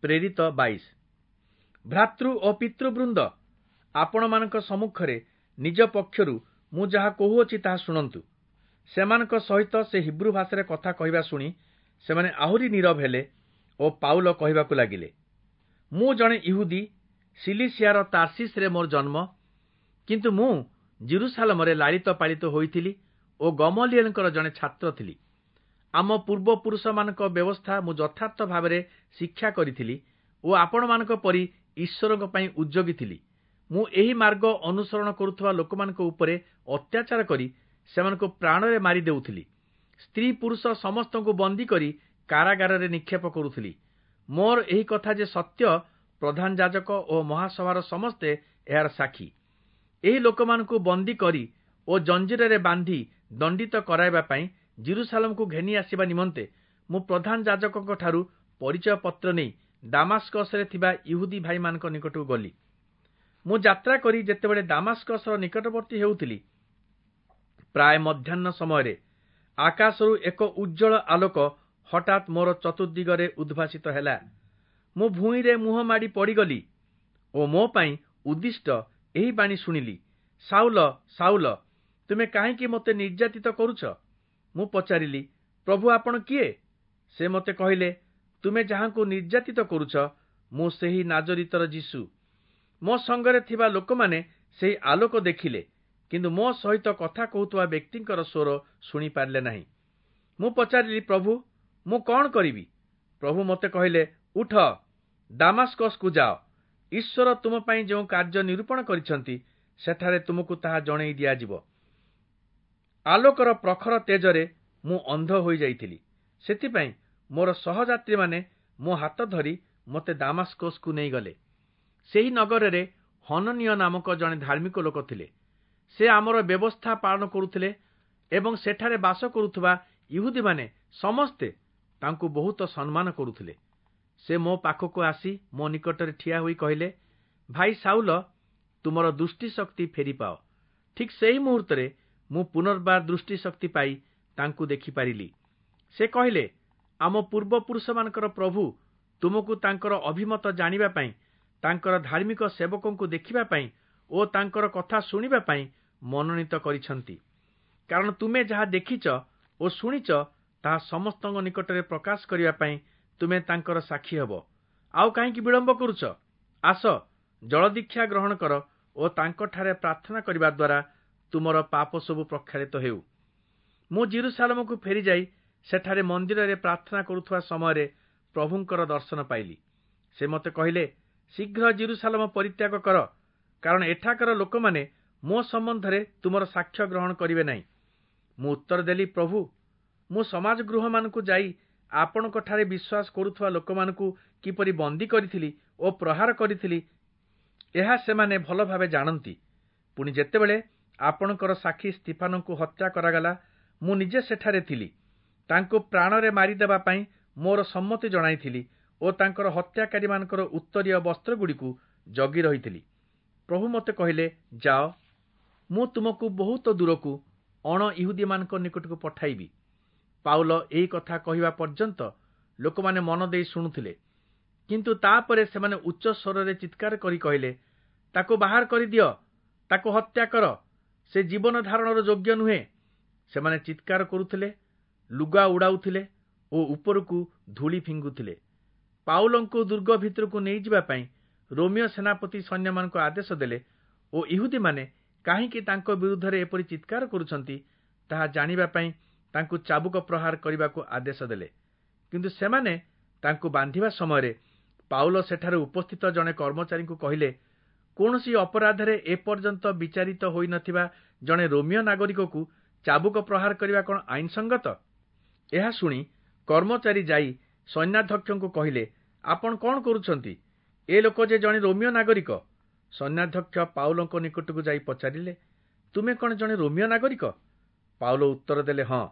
ପ୍ରେରିତ 22। ଭ୍ରାତୃ ଓ ପିତୃବୃନ୍ଦ, ଆପଣମାନଙ୍କ ସମ୍ମୁଖରେ ନିଜ ପକ୍ଷରୁ ମୁଁ ଯାହା କହୁଅଛି ତାହା ଶୁଣନ୍ତୁ। ସେମାନଙ୍କ ସହିତ ସେ ହିବ୍ରୁ ଭାଷାରେ କଥା କହିବା ଶୁଣି ସେମାନେ ଆହୁରି ନୀରବ ହେଲେ ଓ ପାଉଲ କହିବାକୁ ଲାଗିଲେ, ମୁଁ ଜଣେ ଇହୁଦୀ, ସିଲିସିଆର ତାର୍ସିସରେ ମୋର ଜନ୍ମ, କିନ୍ତୁ ମୁଁ ଜିରୁସାଲମରେ ଲାଳିତ ପାଳିତ ହୋଇଥିଲି ଓ ଗମଲିଏଲଙ୍କର ଜଣେ ଛାତ୍ର ଥିଲି। ଆମ ପୂର୍ବପୁରୁଷମାନଙ୍କ ବ୍ୟବସ୍ଥା ମୁଁ ଯଥାର୍ଥ ଭାବରେ ଶିକ୍ଷା କରିଥିଲି ଓ ଆପଣମାନଙ୍କ ପରି ଈଶ୍ୱରଙ୍କ ପାଇଁ ଉଦ୍ଯୋଗୀ ଥିଲି। ମୁଁ ଏହି ମାର୍ଗ ଅନୁସରଣ କରୁଥିବା ଲୋକମାନଙ୍କ ଉପରେ ଅତ୍ୟାଚାର କରି ସେମାନଙ୍କୁ ପ୍ରାଣରେ ମାରି ଦେଉଥିଲି। ସ୍ତ୍ରୀ ପୁରୁଷ ସମସ୍ତଙ୍କୁ ବନ୍ଦୀ କରି କାରାଗାରରେ ନିକ୍ଷେପ କରୁଥିଲି। ମୋର ଏହି କଥା ଯେ ସତ୍ୟ, ପ୍ରଧାନ ଯାଜକ ଓ ମହାସଭାର ସମସ୍ତେ ଏହାର ସାକ୍ଷୀ। ଏହି ଲୋକମାନଙ୍କୁ ବନ୍ଦୀ କରି ଓ ଜଞ୍ଜିରରେ ବାନ୍ଧି ଦଣ୍ଡିତ କରାଇବା ପାଇଁ ଜିରୁସାଲମକୁ ଘେନି ଆସିବା ନିମନ୍ତେ ମୁଁ ପ୍ରଧାନ ଯାଜକଙ୍କ ଠାରୁ ପରିଚୟ ପତ୍ର ନେଇ ଦାମାସ୍କସରେ ଥିବା ଇହୁଦୀ ଭାଇମାନଙ୍କ ନିକଟକୁ ଗଲି। ମୁଁ ଯାତ୍ରା କରି ଯେତେବେଳେ ଦାମାସ୍କସର ନିକଟବର୍ତ୍ତୀ ହେଉଥିଲି, ପ୍ରାୟ ମଧ୍ୟାହ୍ନ ସମୟରେ ଆକାଶରୁ ଏକ ଉଜ୍ଜ୍ୱଳ ଆଲୋକ ହଠାତ୍ ମୋର ଚତୁର୍ଦିଗରେ ଉଦ୍ଭାସିତ ହେଲା। ମୁଁ ଭୂଇଁରେ ମୁହଁ ମାଡ଼ି ପଡ଼ିଗଲି ଓ ମୋ ପାଇଁ ଉଦ୍ଦିଷ୍ଟ ଏହି ବାଣୀ ଶୁଣିଲି, ସାଉଲ, ସାଉଲ, ତୁମେ କାହିଁକି ମୋତେ ନିର୍ଯାତିତ କରୁଛ? ମୁଁ ପଚାରିଲି, ପ୍ରଭୁ, ଆପଣ କିଏ? ସେ ମୋତେ କହିଲେ, ତୁମେ ଯାହାଙ୍କୁ ନିର୍ଯାତିତ କରୁଛ, ମୁଁ ସେହି ନାଜରିତର ଯୀଶୁ। ମୋ ସଙ୍ଗରେ ଥିବା ଲୋକମାନେ ସେହି ଆଲୋକ ଦେଖିଲେ, କିନ୍ତୁ ମୋ ସହିତ କଥା କହୁଥିବା ବ୍ୟକ୍ତିଙ୍କର ସ୍ୱର ଶୁଣିପାରିଲେ ନାହିଁ। ମୁଁ ପଚାରିଲି, ପ୍ରଭୁ, ମୁଁ କଣ କରିବି? ପ୍ରଭୁ ମୋତେ କହିଲେ, ଉଠ, ଦାମାସ୍କସକୁ ଯାଅ। ଈଶ୍ୱର ତୁମ ପାଇଁ ଯେଉଁ କାର୍ଯ୍ୟ ନିରୂପଣ କରିଛନ୍ତି, ସେଠାରେ ତୁମକୁ ତାହା ଜଣେଇ ଦିଆଯିବ। ଆଲୋକର ପ୍ରଖର ତେଜରେ ମୁଁ ଅନ୍ଧ ହୋଇଯାଇଥିଲି। ସେଥିପାଇଁ ମୋର ସହଯାତ୍ରୀମାନେ ମୋ ହାତ ଧରି ମୋତେ ଦାମାସ୍କସକୁ ନେଇଗଲେ। ସେହି ନଗରରେ ହନନୀୟ ନାମକ ଜଣେ ଧାର୍ମିକ ଲୋକ ଥିଲେ। ସେ ଆମର ବ୍ୟବସ୍ଥା ପାଳନ କରୁଥିଲେ ଏବଂ ସେଠାରେ ବାସ କରୁଥିବା ଇହୁଦୀମାନେ ସମସ୍ତେ ତାଙ୍କୁ ବହୁତ ସମ୍ମାନ କରୁଥିଲେ। ସେ ମୋ ପାଖକୁ ଆସି ମୋ ନିକଟରେ ଠିଆ ହୋଇ କହିଲେ, ଭାଇ ସାଉଲ, ତୁମର ଦୃଷ୍ଟିଶକ୍ତି ଫେରିପାଅ। ଠିକ୍ ସେହି ମୁହୂର୍ତ୍ତରେ ମୁଁ ପୁନର୍ବାର ଦୃଷ୍ଟିଶକ୍ତି ପାଇ ତାଙ୍କୁ ଦେଖିପାରିଲି। ସେ କହିଲେ, ଆମ ପୂର୍ବପୁରୁଷମାନଙ୍କର ପ୍ରଭୁ ତୁମକୁ ତାଙ୍କର ଅଭିମତ ଜାଣିବା ପାଇଁ, ତାଙ୍କର ଧାର୍ମିକ ସେବକଙ୍କୁ ଦେଖିବା ପାଇଁ ଓ ତାଙ୍କର କଥା ଶୁଣିବା ପାଇଁ ମନୋନୀତ କରିଛନ୍ତି। କାରଣ ତୁମେ ଯାହା ଦେଖିଛ ଓ ଶୁଣିଛ, ତାହା ସମସ୍ତଙ୍କ ନିକଟରେ ପ୍ରକାଶ କରିବା ପାଇଁ ତୁମେ ତାଙ୍କର ସାକ୍ଷୀ ହେବ। ଆଉ କାହିଁକି ବିଳମ୍ବ କରୁଛ? ଆସ, ଜଳଦୀକ୍ଷା ଗ୍ରହଣ କର ଓ ତାଙ୍କଠାରେ ପ୍ରାର୍ଥନା କରିବା ଦ୍ୱାରା ତୁମର ପାପ ସବୁ ପ୍ରକ୍ଷାଳିତ ହେଉ। ମୁଁ ଜିରୁସାଲମକୁ ଫେରିଯାଇ ସେଠାରେ ମନ୍ଦିରରେ ପ୍ରାର୍ଥନା କରୁଥିବା ସମୟରେ ପ୍ରଭୁଙ୍କର ଦର୍ଶନ ପାଇଲି। ସେ ମୋତେ କହିଲେ, ଶୀଘ୍ର ଜିରୁସାଲମ ପରିତ୍ୟାଗ କର, କାରଣ ଏଠାକାର ଲୋକମାନେ ମୋ ସମ୍ବନ୍ଧରେ ତୁମର ସାକ୍ଷ୍ୟ ଗ୍ରହଣ କରିବେ ନାହିଁ। ମୁଁ ଉତ୍ତର ଦେଲି, ପ୍ରଭୁ, ମୁଁ ସମାଜ ଗୃହମାନଙ୍କୁ ଯାଇ ଆପଣଙ୍କଠାରେ ବିଶ୍ୱାସ କରୁଥିବା ଲୋକମାନଙ୍କୁ କିପରି ବନ୍ଦୀ କରିଥିଲି ଓ ପ୍ରହାର କରିଥିଲି, ଏହା ସେମାନେ ଭଲ ଭାବେ ଜାଣନ୍ତି। ପୁଣି ଯେତେବେଳେ ଆପଣଙ୍କର ସାକ୍ଷୀ ସ୍ତିଫାନଙ୍କୁ ହତ୍ୟା କରାଗଲା, ମୁଁ ନିଜେ ସେଠାରେ ଥିଲି। ତାଙ୍କୁ ପ୍ରାଣରେ ମାରିଦେବା ପାଇଁ ମୋର ସମ୍ମତି ଜଣାଇଥିଲି ଓ ତାଙ୍କର ହତ୍ୟାକାରୀମାନଙ୍କର ଉତ୍ତରୀୟ ବସ୍ତ୍ରଗୁଡ଼ିକୁ ଜଗି ରହିଥିଲି। ପ୍ରଭୁ ମୋତେ କହିଲେ, ଯାଅ, ମୁଁ ତୁମକୁ ବହୁତ ଦୂରକୁ ଅଣ ଇହୁଦୀମାନଙ୍କ ନିକଟକୁ ପଠାଇବି। ପାଉଲ ଏହି କଥା କହିବା ପର୍ଯ୍ୟନ୍ତ ଲୋକମାନେ ମନ ଦେଇ ଶୁଣୁଥିଲେ, କିନ୍ତୁ ତାପରେ ସେମାନେ ଉଚ୍ଚ ସ୍ୱରରେ ଚିତ୍କାର କରି କହିଲେ, ତାକୁ ବାହାର କରିଦିଅ, ତାକୁ ହତ୍ୟା କର, ସେ ଜୀବନ ଧାରଣର ଯୋଗ୍ୟ ନୁହେଁ। ସେମାନେ ଚିତ୍କାର କରୁଥିଲେ, ଲୁଗା ଉଡ଼ାଉଥିଲେ ଓ ଉପରକୁ ଧୂଳି ଫିଙ୍ଗୁଥିଲେ। ପାଉଲଙ୍କୁ ଦୁର୍ଗ ଭିତରକୁ ନେଇଯିବା ପାଇଁ ରୋମୀୟ ସେନାପତି ସୈନ୍ୟମାନଙ୍କୁ ଆଦେଶ ଦେଲେ ଓ ଇହୁଦୀମାନେ କାହିଁକି ତାଙ୍କ ବିରୁଦ୍ଧରେ ଏପରି ଚିତ୍କାର କରୁଛନ୍ତି ତାହା ଜାଣିବା ପାଇଁ ତାଙ୍କୁ ଚାବୁକ ପ୍ରହାର କରିବାକୁ ଆଦେଶ ଦେଲେ। କିନ୍ତୁ ସେମାନେ ତାଙ୍କୁ ବାନ୍ଧିବା ସମୟରେ ପାଉଲ ସେଠାରେ ଉପସ୍ଥିତ ଜଣେ କର୍ମଚାରୀଙ୍କୁ କହିଲେ, କୌଣସି ଅପରାଧରେ ଏପର୍ଯ୍ୟନ୍ତ ବିଚାରିତ ହୋଇନଥିବା ଜଣେ ରୋମୀୟ ନାଗରିକକୁ ଚାବୁକ ପ୍ରହାର କରିବା କଣ ଆଇନସଙ୍ଗତ? ଏହା ଶୁଣି କର୍ମଚାରୀ ଯାଇ ସୈନ୍ୟାଧ୍ୟକ୍ଷଙ୍କୁ କହିଲେ, ଆପଣ କଣ କରୁଛନ୍ତି? ଏ ଲୋକ ଯେ ଜଣେ ରୋମୀୟ ନାଗରିକ। ସୈନ୍ୟାଧ୍ୟକ୍ଷ ପାଉଲଙ୍କ ନିକଟକୁ ଯାଇ ପଚାରିଲେ, ତୁମେ କଣ ଜଣେ ରୋମୀୟ ନାଗରିକ? ପାଉଲ ଉତ୍ତର ଦେଲେ, ହଁ।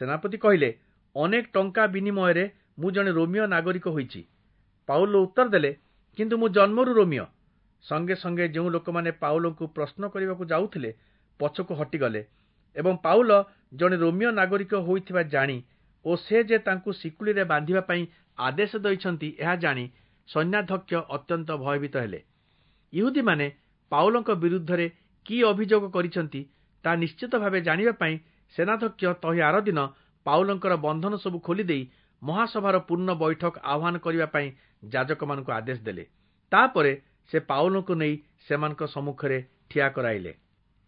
ସେନାପତି କହିଲେ, ଅନେକ ଟଙ୍କା ବିନିମୟରେ ମୁଁ ଜଣେ ରୋମୀୟ ନାଗରିକ ହୋଇଛି। ପାଉଲ ଉତ୍ତର ଦେଲେ, କିନ୍ତୁ ମୁଁ ଜନ୍ମରୁ ରୋମୀୟ। ସଙ୍ଗେ ସଙ୍ଗେ ଯେଉଁ ଲୋକମାନେ ପାଉଲଙ୍କୁ ପ୍ରଶ୍ନ କରିବାକୁ ଯାଉଥିଲେ ପଛକୁ ହଟିଗଲେ ଏବଂ ପାଉଲ ଜଣେ ରୋମୀୟ ନାଗରିକ ହୋଇଥିବା ଜାଣି ଓ ସେ ଯେ ତାଙ୍କୁ ଶିକୁଳିରେ ବାନ୍ଧିବା ପାଇଁ ଆଦେଶ ଦେଇଛନ୍ତି ଏହା ଜାଣି ସୈନ୍ୟାଧ୍ୟକ୍ଷ ଅତ୍ୟନ୍ତ ଭୟଭୀତ ହେଲେ। ଇହୁଦୀମାନେ ପାଉଲଙ୍କ ବିରୁଦ୍ଧରେ କି ଅଭିଯୋଗ କରିଛନ୍ତି, ତାହା ନିଶ୍ଚିତ ଭାବେ ଜାଣିବା ପାଇଁ ସେନାଧ୍ୟକ୍ଷ ତହିଁ ଆରଦିନ ପାଉଲଙ୍କର ବନ୍ଧନ ସବୁ ଖୋଲିଦେଇ ମହାସଭାର ପୂର୍ଣ୍ଣ ବୈଠକ ଆହ୍ୱାନ କରିବା ପାଇଁ ଯାଜକମାନଙ୍କୁ ଆଦେଶ ଦେଲେ। ତାପରେ ସେ ପାଉଲଙ୍କୁ ନେଇ ସେମାନଙ୍କ ସମ୍ମୁଖରେ ଠିଆ କରାଇଲେ।